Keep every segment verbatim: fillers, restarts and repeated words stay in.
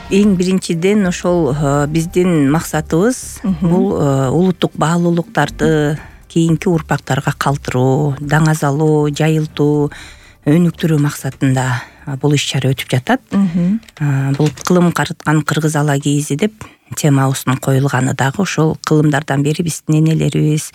Эң биринчиден ошол биздин максатыбыз бул улуттук баалуулуктарды кийинки урпактарга калтыруу, даңазалоо, жайылтуу, өнүктүрүү максатында бул иш-чара өтүп жатат. Бул кылым карыткан кыргыз ала кийизи деп темабыздын коюлганы дагы ошол кылымдардан бери биздин энелерибиз,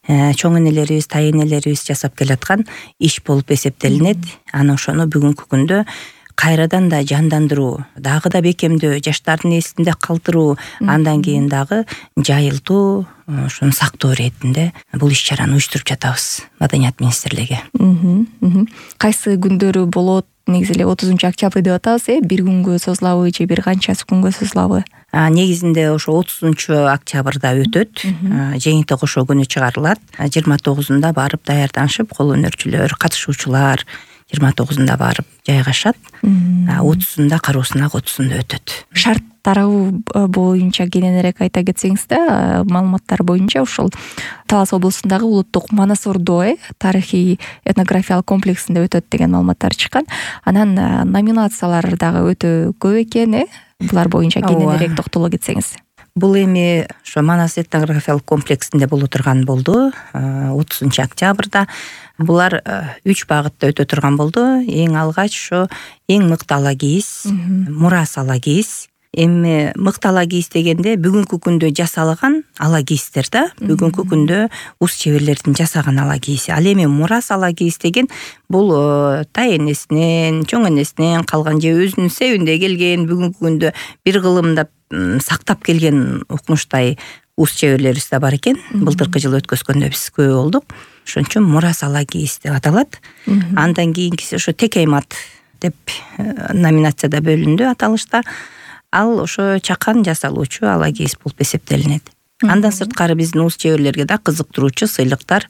чоң энелерибиз, тай энелерибиз жасап келаткан иш болуп эсептелинет. Анан ошону бүгүнкү күндө кайрадан да жандандыруу, дагы да бекемдөө, жаштардын эсинде калтыруу, андан кийин дагы жайылтуу, ошону сактоо иретинде бул иш-чараны уюштуруп жатабыз Маданият министрлиги. Кайсы күндөрү болот? Негизи эле отузунчу октябрь деп атабыз, э? Бир күнгө созулабы же бир канчасы күнгө созулабы? Негизинде ошо отузунчу октябрда өтөт. Жээнти кошо күнү чыгарылат. жыйырма тогузунда барып даярданышып, кол өнөрчүлөр, катышуучулар жыйырма тогузунда барып жайгашат. отузунда кароосуна отузунда өтөт. Шарт тарабы боюнча кененирээк айта кетсеңиз да, маалыматтар боюнча ушул Талас облусундагы улуттук Манас Ордо э тарыхый этнографиялык комплексинде өтөт деген маалыматтар чыккан. Анан номинациялар дагы өтө көп экен, э? Булар боюнча кененирээк токтоло кетсеңиз. Бул эми ошо Манас этнографиялык комплексинде боло турган болду отузунчу октябрда. Булар үч багытта өтө турган болду. Эң алгач ошо эң мыкты ала кийиз, мурас ала кийиз. Эми мыкты ала кийиз дегенде бүгүнкү күндө жасалган ала кийиздер да, бүгүнкү күндө ус чеберлердин жасаган ала кийизи. Ал эми мурас ала кийиз деген бул тай энесинен, чоң энесинен калган же өзүнүн себинде келген, бүгүнкү күндө бир кылымда сактап келген укмуштай ус чеберлерибиз да бар экен. Былтыркы жылы өткөзгөндө биз көп болдук. Ошон үчүн мурас ала кийиз деп аталат. Андан кийинкиси ошо текеймат деп номинацияда бөлүндү аталышта. Ал ошо чакан жасалуучу ала кийиз болуп эсептелинет. Андан сырткары биздин ус чеберлерге да кызыктыруучу сыйлыктар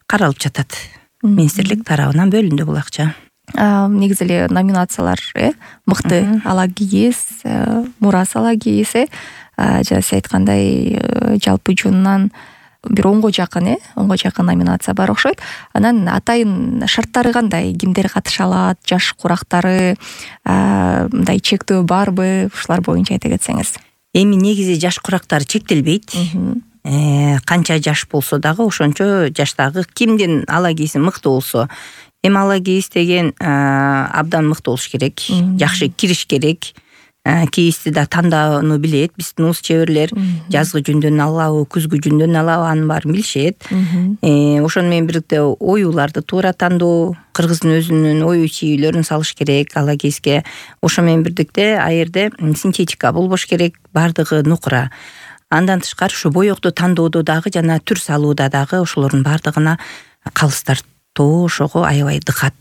каралып жатат. Министрлик тарабынан бөлүндү бул акча. Негизи эле номинациялар, э? Мыкты ала кийиз, мурас ала кийиз, э? Жана сиз айткандай жалпы жонунан бир онго жакын, э? онго жакын номинация бар окшойт. Анан атайын шарттары кандай? Кимдер катыша алат? Жаш курактары, мындай чектөө барбы? Ушулар боюнча айта кетсеңиз. Эми негизи жаш курактар чектелбейт. Канча жаш болсо дагы ошончо жаштагы кимдин ала кийизи мыкты болсо. Эми ала кийиз деген абдан мыкты болуш керек, жакшы кириш керек. Кийизди да тандоону билет. Биздин ус чеберлер жазгы жүндөн алабы, күзгү жүндөн алабы, анын баарын билишет. Ошону менен бирдикте оюуларды туура тандоо, кыргыздын өзүнүн ою чийүүлөрүн салыш керек ала кийизге. Ошо менен бирдикте а жерде синтетика болбош керек, бардыгы нукура. Андан тышкары ушу боёкту тандоодо дагы жана түр салууда дагы ошолордун бардыгына калыстар тоо, ошого аябай дыкат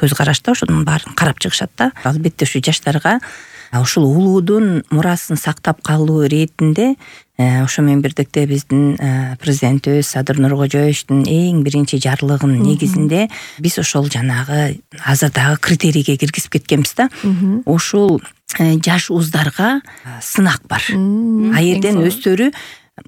көз карашта ошонун баарын карап чыгышат да. Албетте ушу жаштарга ушул улуудун мурасын сактап калуу иретинде ошо менен бирдикте биздин президентибиз Садыр Нуркожоевичтин эң биринчи жарлыгынын негизинде биз ошол жанагы азыр дагы критерийге киргизип кеткенбиз да. Ушул жаш уздарга сынак бар. А жерден өздөрү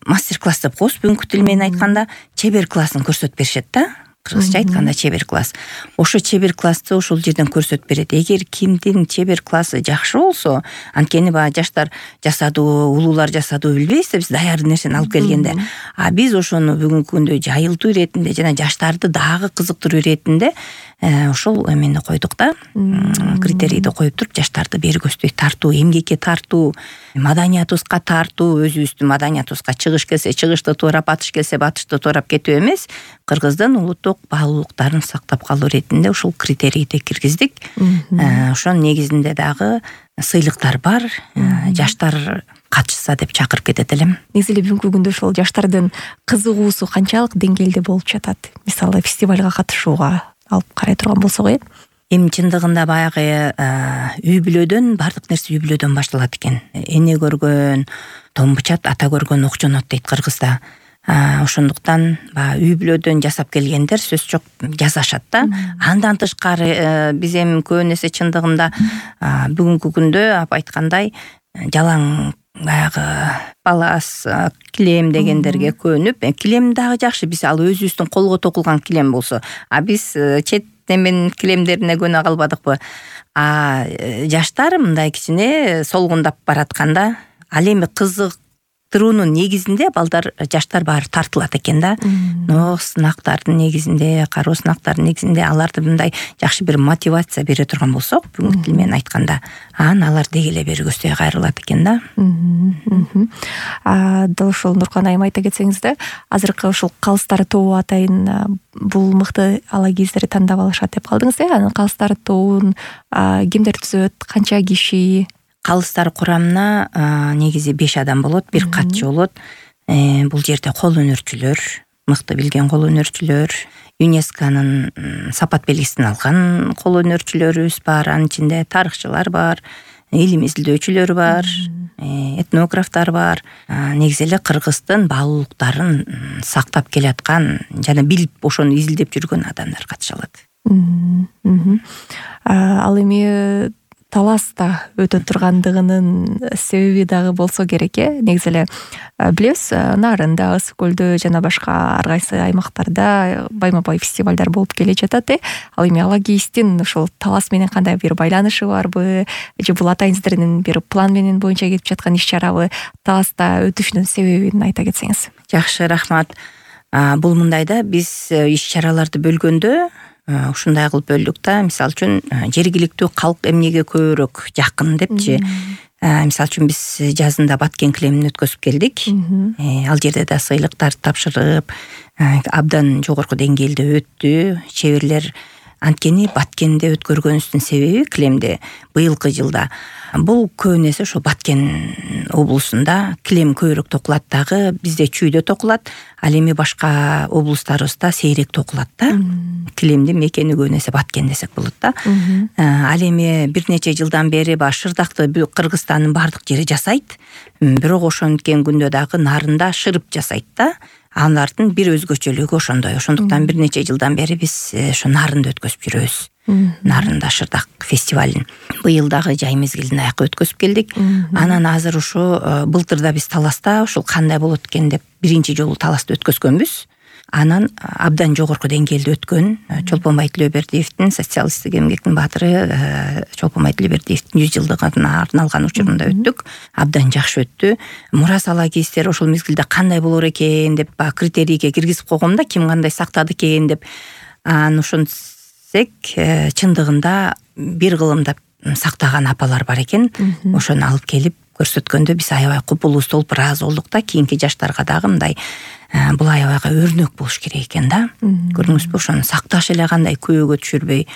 мастер-класс деп коебуз, бүгүнкү тил менен айтканда чебер классын көрсөтүп беришет да. Кыргызча айтканда чебер класс. Ошо чебер классты ошол жерден көрсөтүп берет. Эгер кимдин чебер классы жакшы болсо, анткени баа жаштар жасадуу, улуулар жасадуу билбейбиз да, биз даяр нерсени алып келгенде. А биз ошону бүгүнкү күндө жайылтуу иретинде жана жаштарды дагы кызыктыруу иретинде ошол эмени койдук да. Критерийди коюп туруп, жаштарды бери көздөй тартуу, эмгекке тартуу, маданиятыбызга тартуу, өзүбүздүн маданиятыбызга чыгыш келсе, чыгышты туурап, батыш келсе, батышты туурап кетүү эмес, кыргыздын улуттук баалуулуктарын сактап калуу иретинде ушул критерийди киргиздик. Ошонун негизинде дагы сыйлыктар бар. Жаштар катышса деп чакырып кетет элем. Негизи эле бүгүнкү күндө ошол жаштардын кызыгуусу канчалык деңгээлде болуп жатат? Мисалы фестивалга катышууга алып карай турган болсок, э? Эми чындыгында баягы үй бүлөдөн, бардык нерсе үй бүлөдөн башталат экен. Эне көргөн томбучат, ата көргөн окчонот дейт кыргызда. Ошондуктан баягы үй бүлөдөн жасап келгендер сөз жок жасашат да. Андан тышкары биз эми көп нерсе чындыгында бүгүнкү күндө ап айткандай жалаң баягы палас, килем дегендерге көнүп, килем дагы жакшы, биз ал өзүбүздүн колго токулган килем болсо, а биз чет неменин килемдерине көнө калбадыкпы. А жаштар мындай кичине солгундап баратканда ал эми кызыктыруунун негизинде балдар жаштар баары тартылат экен да. Но сынактардын негизинде, кароо сынактардын негизинде аларды мындай жакшы бир мотивация бере турган болсок, бүгүнкү тил менен айтканда, анан алар деги эле бери көздөй кайрылат экен да. Дал ушул Нуркан айым айта кетсеңиз да, азыркы ушул калыстар тобу атайын бул мыкты ала кездерди тандап алышат деп калдыңыз э. Анын калыстар тобун кимдер түзөт, канча киши? Калыстар курамына негизи беш адам болот, бир катчы болот. Бул жерде кол өнөрчүлөр, мыкты билген кол өнөрчүлөр, ЮНЕСКОнун сапат белгисин алган кол өнөрчүлөрүбүз бар, анын ичинде тарыхчылар бар, илим изилдөөчүлөр бар, этнографтар бар. Негизи эле Кыргыздын баалуулуктарын сактап келаткан жана билип ошону изилдеп жүргөн адамдар катыша алат. Ал эми таласта өтө тургандыгынын себеби дагы болсо керек э. Негизи эле билебиз, Нарында, Ысык көлдө жана башка ар кайсы аймактарда байма-бай фестивалдар болуп келе жатат э. Ал эми ала кийиздин ушул талас менен кандай бир байланышы барбы, же бул атайын сиздердин бир план менен боюнча кетип жаткан иш-чарабы, таласта өтүшүнүн себебин айта кетсеңиз. Жакшы, рахмат. Бул мындай да, биз иш-чараларды бөлгөндө ушундай кылып бөлдүк да. Мисалы үчүн жергиликтүү калк эмнеге көбүрөөк жакын депчи. Мисалы үчүн биз жазында Баткен килемин өткөзүп келдик. Ал жерде да сыйлыктарды тапшырып, абдан жогорку деңгээлде өттү. Чеберлер анткени Баткенде өткөргөнүбүздүн себеби килемде быйылкы жылда бул көбүн эсе ошо Баткен облусунда килем көбүрөөк токулат дагы, бизде чүйдө токулат, ал эми башка облустарыбызда сейрек токулат да. Килемдин мекени көбүн эсе Баткен десек болот да. Ал эми бир нече жылдан бери баш шырдакты Кыргызстандын бардык жери жасайт, бирок ошонткен күндө дагы Нарында шырып жасайт да. Алардын бир өзгөчөлүгү ошондой. Ошондуктан бир нече жылдан бери биз ошо Нарында өткөзүп жүрөбүз. Нарында шырдак фестивалын. Быйыл дагы жай мезгилинде аяка өткөзүп келдик. Анан азыр ушу былтырда биз таласта ушул кандай болот экен деп биринчи жолу таласты өткөзгөнбүз. Анан абдан жогорку деңгээлде өткөн. Чолпонбай Тилөөбердиевдин социалисттик эмгектин баатыры Чолпонбай Тилөөбердиевдин жүз жылдыгына арналган учурунда өттүк. Абдан жакшы өттү. Мурас ала кийиздер ошол мезгилде кандай болор экен деп критерийге киргизип койгом да, ким кандай сактады экен деп. Анан ошентсек чындыгында бир кылымда сактаган апалар бар экен. Ошону алып келип көрсөткөндө биз аябай купулубуз толуп ыраазы болдук да. Кийинки жаштарга дагы мындай бул аябайга өрнөк болуш керек экен да. Көрдүңүзбү, ошону сакташ эле кандай күбөгө түшүрбөй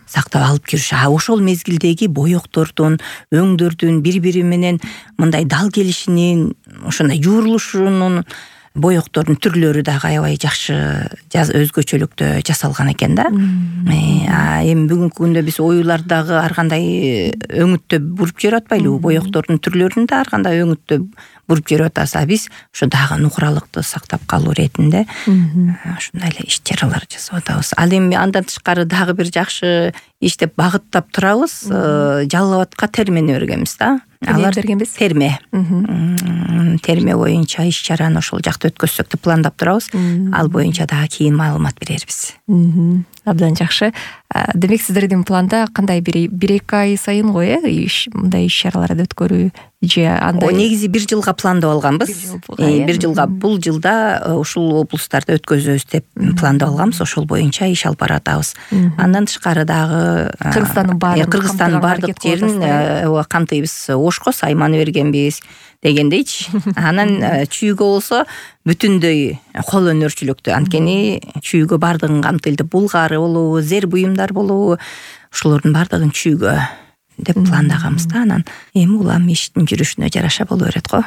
сактап алып жүрүш. А ошол мезгилдеги боектордун, өңдөрдүн бири-бири менен мындай дал келишинин, ошондой жуурулушунун, боектордун түрлөрү дагы аябай жакшы өзгөчөлүктө жасалган экен да. Эми бүгүнкү күндө биз оюларды дагы ар кандай өңүттөп буруп жүрүп атпайлыбы? Боектордун түрлөрүн да ар кандай өңүттөп буруп жүрүп атабыз. Биз ошо дагы нукуралыкты сактап калуу иретинде ушундай эле иш-чаралар жасап атабыз. Ал эми андан тышкары дагы бир жакшы иш деп багыттап турабыз. Жалал Абадка термени бергенбиз да. Алар бергенбиз? Терме. Терме боюнча иш-чараны ошол жакта өткөзсөк деп пландап турабыз. Ал боюнча дагы кийин маалымат берербиз. Абдан жакшы. Демек сиздердин планда кандай бир эки ай сайын го э, мындай иш-чараларды өткөрүү же андай? Негизи бир жылга пландап алганбыз. Бир жылга, бул жылда ушул облустарда өткөзөбүз деп пландап алганбыз. Ошол боюнча иш алып баратабыз. Андан тышкары дагы Кыргызстандын баарын, Кыргызстандын бардык жерин камтыйбыз. Ошко сайманы бергенбиз дегендейчи. Анан чүйгө болсо бүтүндөй кол өнөрчүлүктү, анткени чүйгө бардыгын камтыйлды. Булгары болобу, зер буюмдар болобу, ошолордун бардыгын чүйгө деп пландаганбыз да. Анан эми улам иштин жүрүшүнө жараша боло берет го.